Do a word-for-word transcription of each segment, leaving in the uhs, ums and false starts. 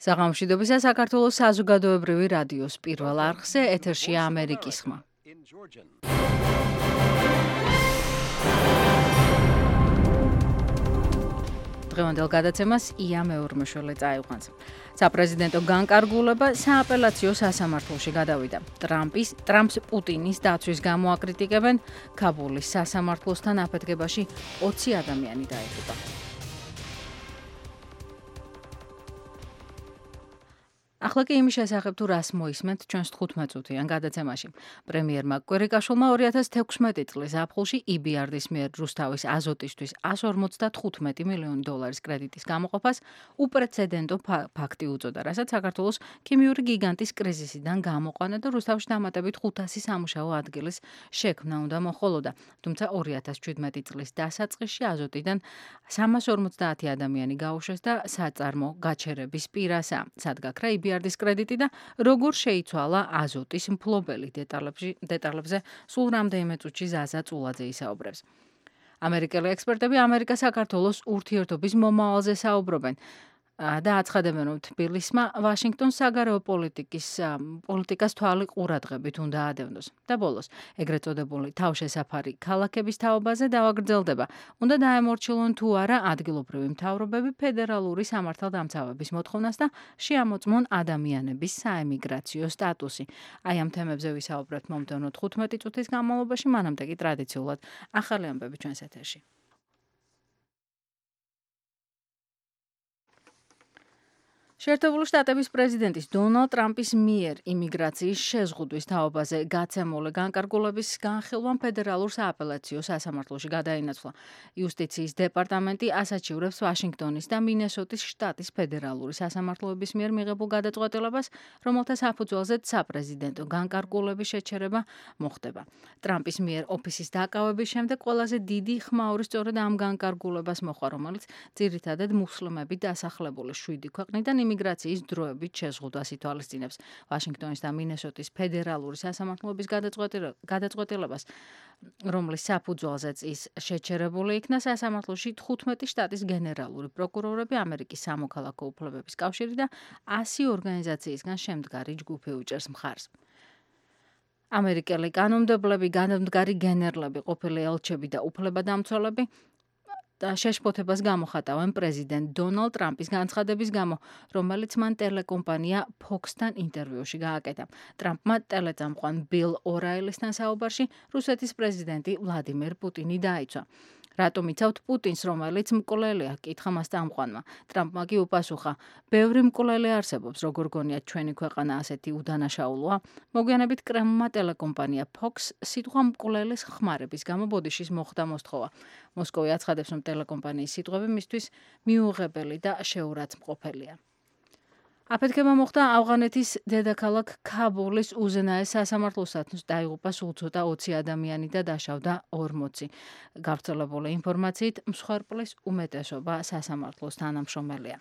საღამოშვიდობისა საქართველოს საზოგადოებრივი რადიოს პირველ არხზე ეთერშია ამერიკის ხმა. დღევანდელ გადაცემას ია მეორმეშველი წაიყვანს. საპრეზიდენტო განკარგულება სააპელაციო სასამართლოში გადავიდა. ტრამპის ტრამპს პუტინის დაცვის გამო აკრიტიკებენ, ქაბულის სასამართლოსთან აფეთქებაში ოცი ადამიანი დაიღუპა. ახლა კი იმის შესახებ თუ რას მოისმენთ ჩვენს თხუთმეტ წუთიან გადაცემაში. პრემიერმა კვირიკაშვილმა ორი ათას თექვსმეტი წლის ზაფხულში ი ბი არ დის მიერ რუსთავის აზოტისთვის εκατს ორმოცდათხუთმეტი მილიონი დოლარის კრედიტის გამოყოფას უპრეცედენტო ფაქტი უწოდა, რასაც საქართველოს ქიმიური გიგანტის კრიზისიდან გამოყვანა და რუსთავში დამატებით ხუთასი სამუშაო ადგილის შექმნა უნდა მოხოლოდა. თუმცა ორი ათას შვიდმეტი წლის დასაწყისში აზოტიდან სამას ორმოცდაათი ადამიანი გაუშვეს და საწარმო გაჩერების პირასა. სად გაქრა ი ბი არ დის კრედიტი და როგორ შეიცვალა აზოტის მფლობელი დეტალებზე სულ რამდენიმე წუთში ზაზა წულაძე ისაუბრებს. ამერიკელი ექსპერტები ამერიკა-საქართველოს ურთიერთობის მომავალზე საუბრობენ და აცხადებენ, რომ თბილისმა ვაშინგტონს საგარეო პოლიტიკის პოლიტიკას თვალი ყურადღებით უნდა ადევნოს. და ბოლოს, ეგრეთ წოდებული თავშესაფარი ქალაქების თაობაზე დავაგრძელდება. უნდა დაემორჩილონ თუ არა ადგილობრივი მთავრობები ფედერალური სამართალდამცავების მოთხოვნას და შეამოწმონ ადამიანების საემიგრაციო სტატუსი. აი ამ თემებზე ვისაუბრებთ მომდევნო თხუთმეტი წუთის განმავლობაში, მანამდე კი ტრადიციულად ახალი ამბები ჩვენს ეთერში. შეერთებული შტატების პრეზიდენტის დონალდ ტრამპის მიერ იმიგრაციის შეზღუდვის თაობაზე გაცემული განკარგულების განხილვამ ფედერალურ სააპელაციო სასამართლოში გადაინაცვლა. იუსტიციის დეპარტამენტი ასაჩივრებს ვაშინგტონის და მინესოტის შტატის ფედერალური სასამართლოების მიერ მიღებულ გადაწყვეტილებას, რომელთა საფუძველზეც საპრეზიდენტო განკარგულების შეჩერება მოხდება. ტრამპის მიერ ოფისის დაკავების შემდეგ ყველაზე დიდი ხმაური სწორედ ამ განკარგულებას მოყვა, რომელიც ძირითადად მუსლიმები დასახლებული შვიდი ქვეყნიდან იმიგრაციის დროებით შეზღუდვას ითვალისწინებს. ვაშინგტონის და მინესოტის ფედერალური სასამართლოების გადაწყვეტილებას, რომლის საფუძველზეც ის შეჩერებული იქნა, სასამართლოში თხუთმეტი შტატის გენერალური პროკურორები, ამერიკის სამოქალაქო უფლებების კავშირი და ასი ორგანიზაციისგან შემდგარი ჯგუფი უჭერს მხარს. ამერიკელი კანონმდებლები, განმდგარი გენერლები, ყოფილი ელჩები და უფლებადამცველები და შეშფოთებას გამოხატავენ პრეზიდენტ დონალდ ტრამპის განცხადების გამო, რომელიც მან ტელეკომპანია Fox-თან ინტერვიუში გააკეთა. ტრამპმა ტელეწამყვან ბილ ორაილისთან საუბარში რუსეთის პრეზიდენტი ვლადიმერ პუტინი დაიცვა. რატომ იცავთ პუტინს, რომელიც მკვლელია? კითხა მას წამყვანმა. ტრამპმა კი უპასუხა, ბევრი მკვლელი არსებობს, როგორ გონიათ ჩვენი ქვეყანა ასეთი უდანაშაულოა? მოგვიანებით კრემლმა ტელეკომპანია Fox სიტყვა მკვლელის ხმარების გამო ბოდიშის მოხდა მოსთხოვა. მოსკოვი აცხადებს, რომ ტელეკომპანიის სიტყვები მისთვის მიუღებელი და შეურაცხმყოფელია. აფეთქება მოხდა ავღანეთის დედაქალაქ ქაბულის უზენაეს სასამართლოსთან, დაიღუპა სულ ცოტა ოცი ადამიანი და დაშავდა ორმოცი. გავრცელებული ინფორმაციით, მსხვერპლის უმეტესობა სასამართლოს თანამშრომელია.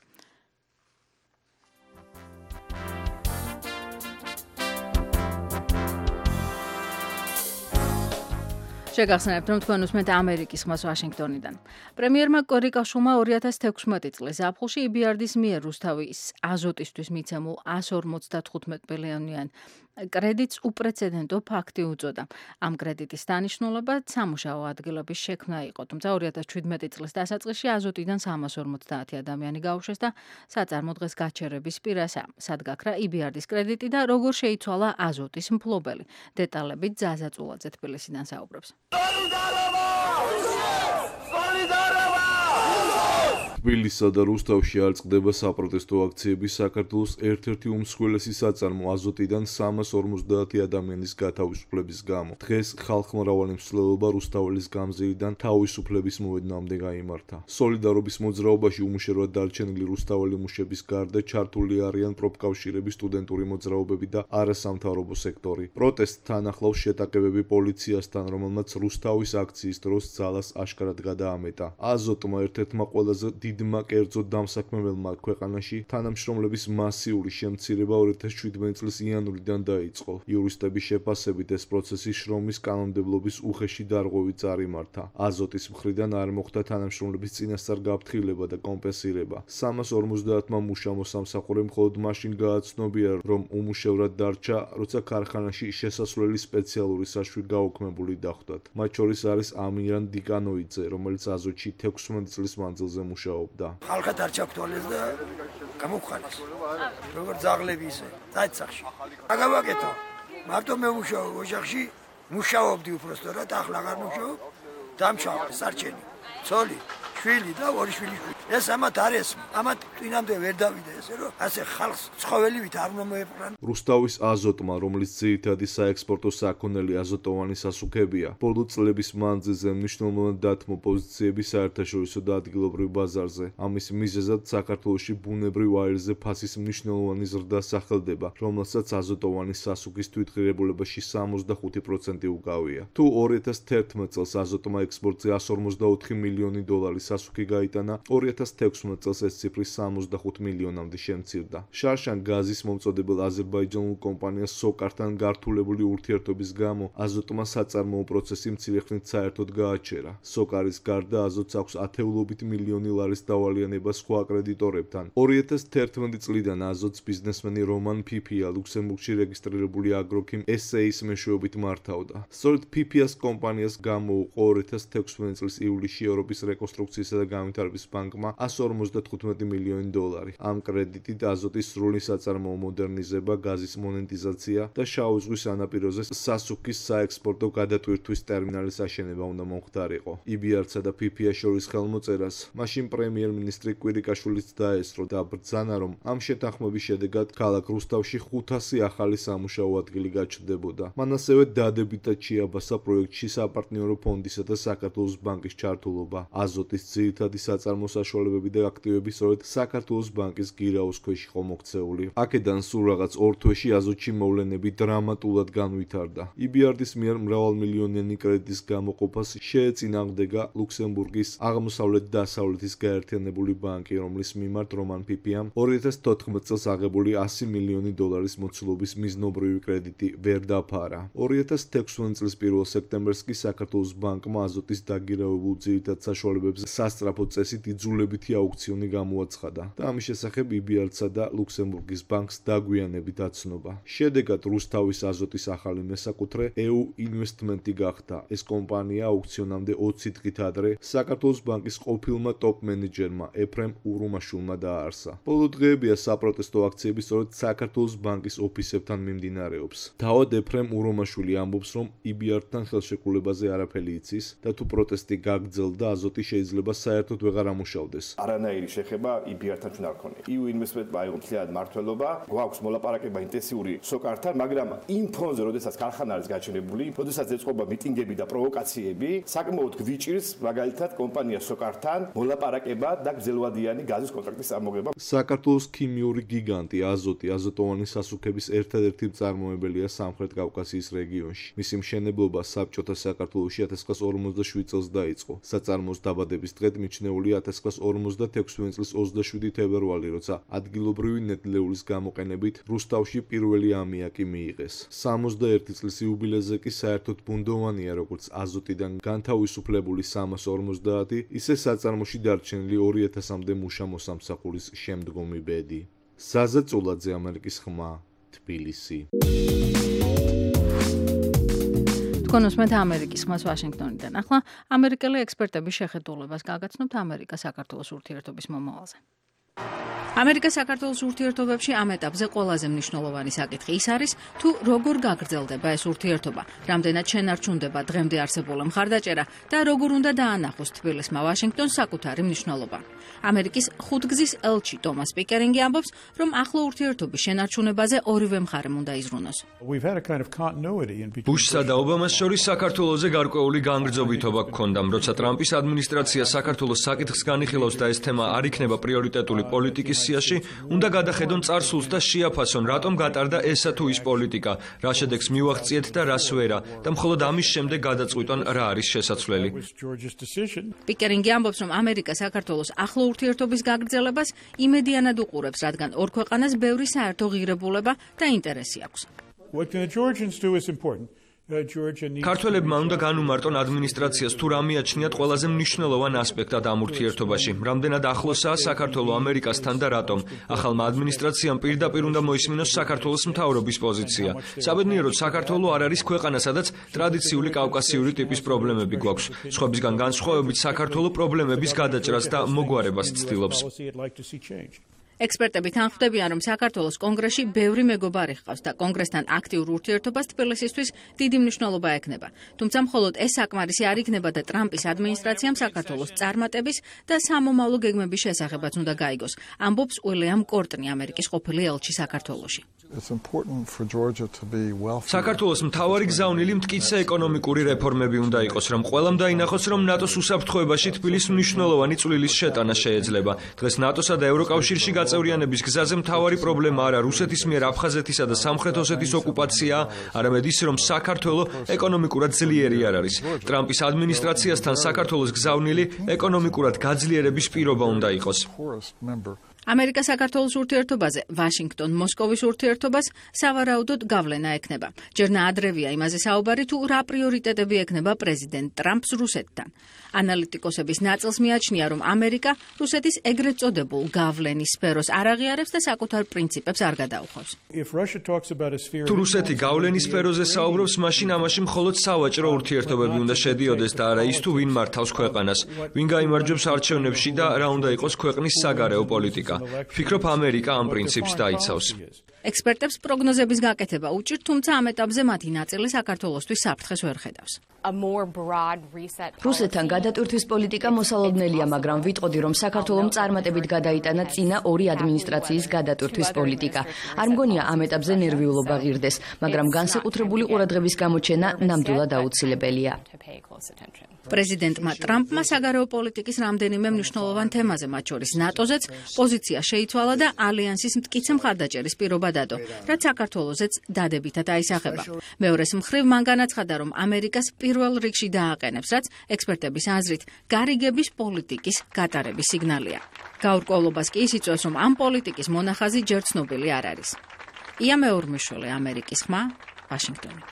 შეგახსენებთ, რომ თქვენ უსმენთ ამერიკის ხმას ვაშინგტონიდან. პრემიერმა კვირიკაშვილმა ორი ათას თექვსმეტი წლის ზაფხულში ი ბი არ დის მიერ რუსთავის აზოტისთვის მიცემულ εκατს ორმოცდათხუთმეტ მილიონიან კრედიტს უპრეცედენტო ფაქტი უწოდა. ამ კრედიტის დანიშნულება სამუშაო ადგილების შექმნა იყო, თუმცა ორი ათას შვიდმეტი წლის დასაწყისში აზოტიდან სამას ორმოცდაათი ადამიანი გაუშვეს და საწარმო დღეს გაჩერების პირასა. სად გაქრა ი ბი არ დის კრედიტი და როგორ შეიცვალა აზოტის მფლობელი? დეტალებით ზაზა წულაძე თბილისიდან საუბრობს. თბილისსა და რუსთავში არ წყდება საპროტესტო აქციები საქართველოს ერთ-ერთი უმსხვილესი საწარმო აზოტიდან სამას ორმოცდაათი ადამიანის გათავისუფლების გამო. დღეს ხალხმრავალი მსვლელობა რუსთაველის გამზირიდან თავისუფლების მოედნამდე გაიმართა. სოლიდარობის მოძრაობაში უმუშევრად დარჩენილი რუსთაველი მუშების გარდა ჩართული არიან პროფკავშირების სტუდენტური მოძრაობები და არასამთავრობო სექტორი. პროტესტთან ახლავს შეტაკებები პოლიციასთან, რომელმაც რუსთავის აქციის დროს ძალას აშკარად გადაამეტა. აზოტმა ერთ-ერთმა ყველაზე დიდმა კერძო დამსაქმებელმა ქვეყანაში თანამშრომლების მასიური შემცირება ორი ათას შვიდმეტი წლის იანვრიდან დაიწყო. იურისტების შეფასებით ეს პროცესი შრომის კანონმდებლობის უხეში დარღვევით წარიმართა. აზოტის მხრიდან არ მოხდა თანამშრომლების წინასწარ გაფრთხილება და კომპენსირება. სამას ორმოცდაათმა მუშა მოსამსახურემ მხოლოდ მაშინ გააცნობია, რომ უმუშევრად დარჩა, როცა ქარხანაში შესასვლელი სპეციალური საშვი გაუქმებული დახვდათ. მათ შორის არის ამირან დიკანოიძე, რომელიც აზოტში თექვსმეტი წლის მანძილზე მუშაობდა. ხალხად არ ჩაქთვალეს და გამოგხანეს. როგორც ძაღლები ისე, დაიცახში. აგავაკეთო. მარტო მე მუშაობ ოჯახში, მუშაობდი უბრალოდ, ახლა აღარ მუშაობ. დამჩავე სარჩენი. ცოლი, შვილი და ორი შვილი. ეს ამათ არის, ამათ წინამდე ვერ დავიდა ესე რომ ასე ხალხს ცხოველივით არ უნდა მოეპყრან. რუსთავის აზოტმა, რომლის ძირითადი საექსპორტო საქონელი აზოტოვანი სასუქებია, ბოლო წლების მანძილზე მნიშვნელოვნად დათმო პოზიციები საერთაშორისო და ადგილობრივ ბაზარზე. ამის მიზეზად საქართველოში ბუნებრივ აირზე ფასის მნიშვნელოვანი ზრდა სახელდება, რომელსაც აზოტოვანი სასუქის თვითღირებულებაში სამოცდახუთი პროცენტი უკავია. თუ ორი ათას თერთმეტ წელს აზოტმა ექსპორტზე εκατს ორმოცდაოთხი მილიონი დოლარი სასუქი გაიტანა, ორი ათას თექვსმეტ წელს ეს ციფრი სამოცდახუთ მილიონამდე შემცირდა. შარშან გაზის მომწოდებელ აზერბაიჯანულ კომპანიას სოკართან გართულებული ურთიერთობის გამო აზოტმა საწარმოო პროცესი მცირე ხნით საერთოდ გააჩერა. სოკარის გარდა აზოტს აქვს ათეულობით მილიონი ლარის დავალიანება სხვა კრედიტორებთან. ორი ათას თერთმეტი წლიდან აზოტს ბიზნესმენი რომან ფიფია ლუქსემბურგში რეგისტრირებული აგროქიმ ეს ეის მეშვეობით მართავდა. სწორედ ფიფიას კომპანიას გამოუყო ორი ათას თექვსმეტი წლის ივლისში ევროპის რეკონსტრუქციისა და განვითარების ბანკმა εκατს ორმოცდათხუთმეტი მილიონი დოლარი. ამ კრედიტით აზოტის სრული საწარმოო მოდერნიზება, გაზის მონეტიზაცია და შავი ზღვის სანაპიროზე სასუქის საექსპორტო გადატვირთვის ტერმინალის აშენება უნდა მომხდარიყო. იბიარცა და ფიფია შორის ხელმოწერას მაშინ პრემიერ-მინისტრი კვირიკაშვილიც დაესწრო და ბრძანა, რომ ამ შეთანხმების შედეგად ქალაქ რუსთავში ხუთასი ახალი სამუშაო ადგილი გაჩნდებოდა. მან ასევე დადებითად შეაბასა პროექტში საპარტნიორო ფონდისა და საქართველოს ბანკის ჩართულობა. აზოტის ძირითადი საწარმო საშუალებები და აქტივები სწორედ საქართველოს ბანკის გირაოს ქვეშ იყო მოქცეული. აქედან სულ რაღაც ორ თვეში აზოტში მოვლენები დრამატულად განვითარდა. იბიარდის მიერ მრავალმილიონიანი კრედიტის გამოყოფას შეეწინააღმდეგა ლუქსემბურგის აღმოსავლეთ-დასავლეთის გაერთიანებული ბანკი, რომლის მიმართ რომან ფიფიამ ორი ათას თოთხმეტ წელს აღებული ასი მილიონი დოლარის მოცულობის მიზნობრივი კრედიტი ვერ დაფარა. ორი ათას თექვსმეტი წლის პირველ სექტემბერს კი საქართველოს ბანკმა აზოტის დაგირავებულ ძირითად საშუალებებზე სასწრაფო წესით იძულებითი აუქციონი გამოაცხადა და ამის შესახებ იბიარცა და ლუქსემბურგის ბანკს დაგვიანებით აცნობა. შედეგად რუსთავის აზოტის ახალი მესაკუთრე ე-უ ინვესტმენტი გახდა. ეს კომპანია აუქციონამდე ოცი დღით ადრე საქართველოს ბანკის ყოფილმა ტოპ მენეჯერმა ეფრემ ურუმაშვილმა დააარსა. ბოლო დღეებია საპროტესტო აქციები სწორედ საქართველოს ბანკის ოფისებთან მიმდინარეობს. თავად ეფრემ ურუმაშვილი ამბობს, რომ იბიართან ხელშეკრულებაზე არაფერი იცის და თუ პროტესტი გაგრძელდა, აზოტი შეიძლება საერთოდ ვეღარ ამუშავდეს. არანაირი შეხება იბიართან ჩვენ არ ქონია. ე-უ ინვესტმენტმა აიღო მთლიანად მმართველობა, გვაქვს მოლაპარაკება ინტენსიური სოკართან, მაგრამ იმ ფონზე, როდესაც ქარხანა არის გაჩენებული, როდესაც ეწყობა მიტინგები და პროვოკაციები, საკმაოდ გვიჭირს მაგალითად კომპანია სოკართან მოლაპარაკება და გრძელვადიანი გაზის კონტრაქტის წარმოგება. საქართველოს ქიმიური გიგანტი აზოტი აზოტოვანი სასუქების ერთადერთი მწარმოებელია სამხრეთ კავკასიის რეგიონში. მისი მშენებლობა საბჭოთა საქართველოში ათას ათასი ორმოცდაშვიდ წელს დაიწყო. საწარმოს დაბადების დღედ მიჩნეულია ათას ათასი ორმოცდათექვსმეტი წლის ოცდაშვიდი თებერვალი, როცა ადგილობრივი ნედლეულის გამოყენებით რუსთავში პირველი ამიაკი მიიღეს. სამოცდაერთი წლის იუბილეზე კი საერთოდ ბუნდოვანია როგორც აზოტიდან განთავისუფლებული სამას ორმოცდაათი, ისე საწარმოში დარჩენილი ორი ათასამდე მუშა მოსამსახურის შემდგომი ბედი. ზაზა წულაძე, ამერიკის ხმა, თბილისი. თქვენ უსმენთ ამერიკის ხმას ვაშინგტონიდან. ახლა ამერიკელი ექსპერტების შეხედულებას გაგაცნობთ ამერიკა-საქართველოს ურთიერთობის მომავალზე. ამერიკა-საქართველოს ურთიერთობებში ამ ეტაპზე ყველაზე მნიშვნელოვანი საკითხი ის არის, თუ როგორ გაგრძელდება ეს ურთიერთობა, რამდენად შენარჩუნდება დღემდე არსებული მხარდაჭერა და როგორ უნდა დაანახოს თბილისმა ვაშინგტონს საკუთარი მნიშვნელობა. ამერიკის ხუთგზის ელჩი ტომას პიკერინგი ამბობს, რომ ახლო ურთიერთობის შენარჩუნებაზე ორივე მხარემ უნდა იზრუნოს. ბუშსა და ობამას შორის საქართველოზე გარკვეული განგრძობითობა გქონდა, როცა ტრამპის ადმინისტრაცია საქართველოს საკითხს განიხილავს და ეს თემა არ იქნება პრიორიტეტული პოლიტიკის სიაში, უნდა გადახედონ წარსულს და შეაფასონ, რატომ გატარდა ესა თუ ის პოლიტიკა, რა შედეგს მივაღწიეთ და რას ვერა და მხოლოდ ამის შემდეგ გადაწყვიტონ რა არის შესაძლებელი. პიკერინგი ამბობს, რომ ამერიკა საქართველოს ახლო ურთიერთობის გაგრძელებას იმედიანად უყურებს, რადგან ორ ქვეყანას ბევრი საერთო ღირებულება და ინტერესი აქვს. ქართველებმა უნდა განუმარტონ ადმინისტრაციას თუ რა მიაჩნიათ ყველაზე მნიშვნელოვან ასპექტად ამ ურთიერთობაში, რამდენად ახლოსაა საქართველო ამერიკასთან და რატომ. ახალმა ადმინისტრაციამ პირდაპირ უნდა მოისმინოს საქართველოს მთავრობის პოზიცია. საბედნიეროდ საქართველო არ არის ქვეყანა, სადაც ტრადიციული კავკასიური ტიპის პრობლემები გვაქვს. სხვებისგან განსხვავებით საქართველო პრობლემების გადაჭრას და მოგვარებას ცდილობს. ექსპერტები თანხმდებიან, რომ საქართველოს კონგრესში ბევრი მეგობარი ჰყავს და კონგრესთან აქტიურ ურთიერთობას თბილისისთვის დიდი მნიშვნელობა ექნება. თუმცა მხოლოდ ეს საკმარისი არ იქნება და ტრამპის ადმინისტრაციამ საქართველოს წარმატების და სამომავლო გეგმების შესახებაც უნდა გაიგოს. ამბობს უილიამ კორტნი, ამერიკის ყოფილი ელჩი საქართველოში. საქართველოს მთავარი გზავნილი მტკიცე ეკონომიკური რეფორმები უნდა იყოს, რომ ყველამ დაინახოს, რომ ნატოს უსაფრთხოებაში თბილისს მნიშვნელოვანი წვლილის შეტანა შეეძლება. დღეს ნატოსა და ევროკავშირში გაწევრიანების გზაზე მთავარი პრობლემა არა რუსეთის მიერ აფხაზეთისა და სამხრეთ ოსეთის ოკუპაციაა, არამედ ის, რომ საქართველო ეკონომიკურად ძლიერი არ არის. ტრამპის ადმინისტრაციასთან საქართველოს გზავნილი ეკონომიკურად გაძლიერების პირობა უნდა იყოს. ამერიკა საქართველოს ურთიერთობაზე, ვაშინგტონ-მოსკოვის ურთიერთობას სავარაუდოდ გავლენა ექნება. ჯერ ნაადრევია იმაზე საუბარი, თუ რა პრიორიტეტები ექნება პრეზიდენტ ტრამპს რუსეთთან. ანალიტიკოსების ნაწილს მიაჩნია, რომ ამერიკა რუსეთის ეგრეთ წოდებულ გავლენის სფეროს არ აღიარებს და საკუთარ პრინციპებს არ გადაუხავს. თუ რუსეთი გავლენის სფეროზე საუბრობს, მაშინ ამაში მხოლოდ სავაჭრო ურთიერთობები უნდა შედიოდეს და არა ის, თუ ვინ მართავს ქვეყანას, ვინ გაიმარჯვებს არჩევნებში და რა უნდა იყოს ქვეყნის საგარეო პოლიტიკა. ფიქრობ, ამერიკა ამ პრინციპს დაიცავს. ექსპერტებს პროგნოზების გაკეთება უჭირთ, თუმცა ამ ეტაპზე მათი ნაწილი საქართველოსთვის საფრთხეს ვერ ხედავს. რუსეთთან გადატვირთვის პოლიტიკა მოსალოდნელია, მაგრამ ვიტყოდი, რომ საქართველომ წარმატებით გადაიტანა წინა ორი ადმინისტრაციის გადატვირთვის პოლიტიკა. არ მგონია ამ ეტაპზე ნერვიულობა ღირდეს, მაგრამ განსაკუთრებული ყურადღების გამოჩენა ნამდვილად აუცილებელია. პრეზიდენტმა ტრამპმა საგარეო პოლიტიკის რამდენიმე მნიშვნელოვან თემაზე, მათ შორის ნატოზეც, პოზიცია შეიცვალა და ალიანსის მტკიცე მხარდაჭერის პირობა დადო, რაც საქართველოსაც დადებითად აისახება. მეორეს მხრივ მან განაცხადა, რომ ამერიკას პირველ რიგში დააყენებს, რაც ექსპერტების აზრით გარიგების პოლიტიკის გატარების სიგნალია. გაურკვევლობას კი ის იწვევს, რომ ამ პოლიტიკის მონახაზი ჯერ ცნობილი არ არის. ია მეორმიშვილი, ამერიკის ხმა, ვაშინგტონი.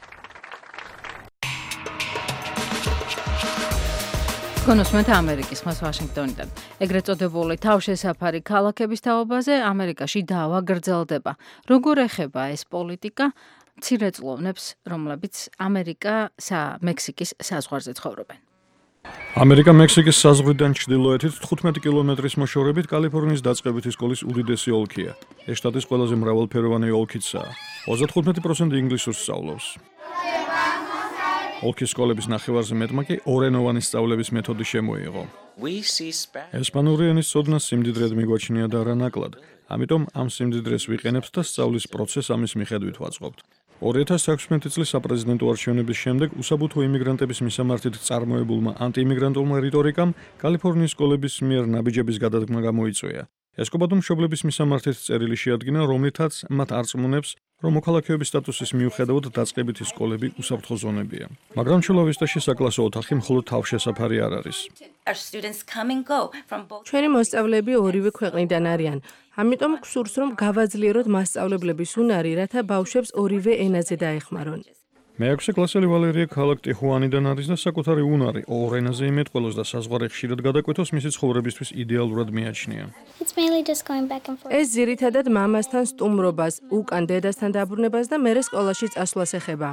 კონსუმენტ ამერიკის ხმას ვაშინგტონიდან. ეგრეთ წოდებული თავშესაფარი ქალაქების თაობაზე ამერიკაში დავა გრძელდება. როგორ ეხება ეს პოლიტიკა მცირე წყლოვნებს, რომლებიც ამერიკა მექსიკის საზღვარზე ცხოვრობენ? ამერიკა მექსიკის საზღვრიდან ჩრდილოეთით თხუთმეტი კილომეტრის მოშორებით კალიფორნიის დაწყებითი სკოლის უდიდესი ოლქია. ეს შტატის ყველაზე მრავალფეროვანი ოლქიცაა. ოცდათხუთმეტი პროცენტი ინგლისურს სწავლობს. ოლქის სკოლების ნახევარზე მეტმა კი ორენოვანი სწავლების მეთოდი შემოიღო. ესპანური ენის ცოდნა სიმდიდრედ მიგვაჩნია და არა ნაკლად. ამიტომ ამ სიმდიდრეს ვიყენებთ და სწავლის პროცესს ამის მიხედვით ვაწყობთ. ორი ათას ექვსმეტი წლის საპრეზიდენტო არჩევნების შემდეგ უსაბუთო იმიგრანტების მისამართით წარმოებულმა ანტიიმიგრანტულმა რიტორიკამ კალიფორნიის სკოლების მიერ ნაბიჯების გადადგმა გამოიწვია. ესკობადო მშობლების მისამართით წერილი შეადგინა, რომლითაც მათ არწმუნებს, რომ მოქალაქეობის სტატუსის მიუხედავად დაწყებითი სკოლები უსაფრთხო ზონებია. მაგრამ ჩულავისტაში საკლასო ოთახი მხოლოდ თავშესაფარი არ არის. ჩვენი მოსწავლეები ორივე ქვეყნიდან არიან. ამიტომ გვსურს, რომ გავაძლიეროთ მასწავლებლების უნარი, რათა ბავშვებს ორივე ენაზე დაეხმარონ. მეექვსე კლასელი ვალერია ქალაქ ტიხუანიდან არის და საკუთარი უნარი ორ ენაზე იმეთყველოს და საზღვარი ხშირად გადაკვეთოს მისი ცხოვრებისთვის იდეალურად მიაჩნია. ეს ძირითადად მამასთან სტუმრობას, უკან დედასთან დაბრუნებას და მერე სკოლაში წასვლას ეხება.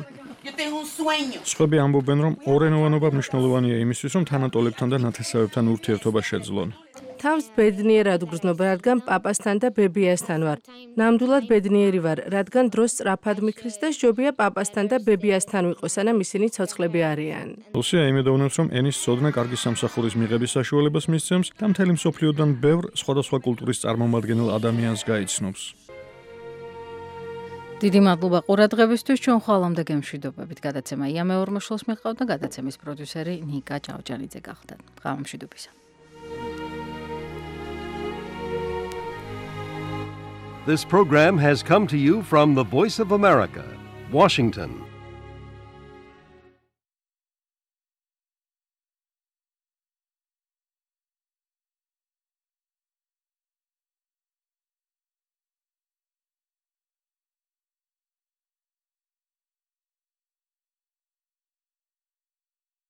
სხვები ამბობენ, რომ ორენოვანობა მნიშვნელოვანია იმისთვის, რომ თანატოლებთან და ნათესავებთან ურთიერთობა შეძლონ. თავს ბედნიერად გრძნობ, რადგან პაპასთან და ბებიასთან ვარ. ნამდვილად ბედნიერი ვარ, რადგან დროს სწრაფად მიქრის და შობია პაპასთან და ბებიასთან ვიყო, სანამ ისინი ცოცხლები არიან. რუსია იმედოვნებს, რომ ენის ცოდნა კარგი სამსახურის მიღების საშუალებას მისცემს და მთელი მსოფლიოდან ბევრ სხვადასხვა კულტურის წარმომადგენელ ადამიანს გაიცნობს. დიდი მადლობა ყურადღებისთვის. ჩვენ ხვალამდე გემშვიდობებით. გადაცემა ია მეორმოშულს მიჰყავდა, გადაცემის პროდიუსერი ნიკა ჭავჭანიძე გახდა. ღამამშვიდობისა. This program has come to you from the Voice of America, Washington.